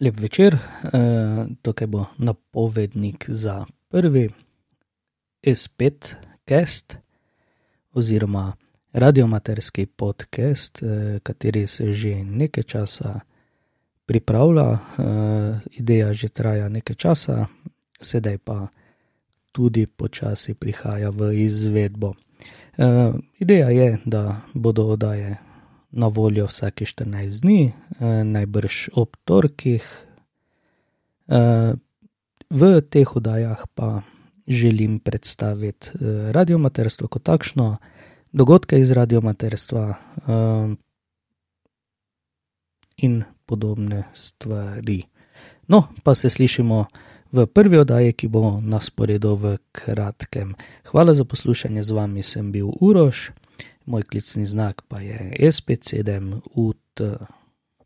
Lep večer, tukaj bo napovednik za prvi S5 cast oziroma radiomaterski podcast, kateri se že nekaj časa pripravlja, ideja že traja nekaj časa, sedaj pa tudi počasi prihaja v izvedbo. Ideja je, da bodo oddaje na voljo vsake 14 dni, najbrž ob torkih. V teh oddajah pa želim predstaviti radiomaterstvo kot takšno, dogodke iz radiomaterstva in podobne stvari. No, pa se slišimo v prvi oddaji, ki bo na sporedu v kratkem. Hvala za poslušanje, z vami sem bil Uroš. Moj klicni znak pa je S57UT.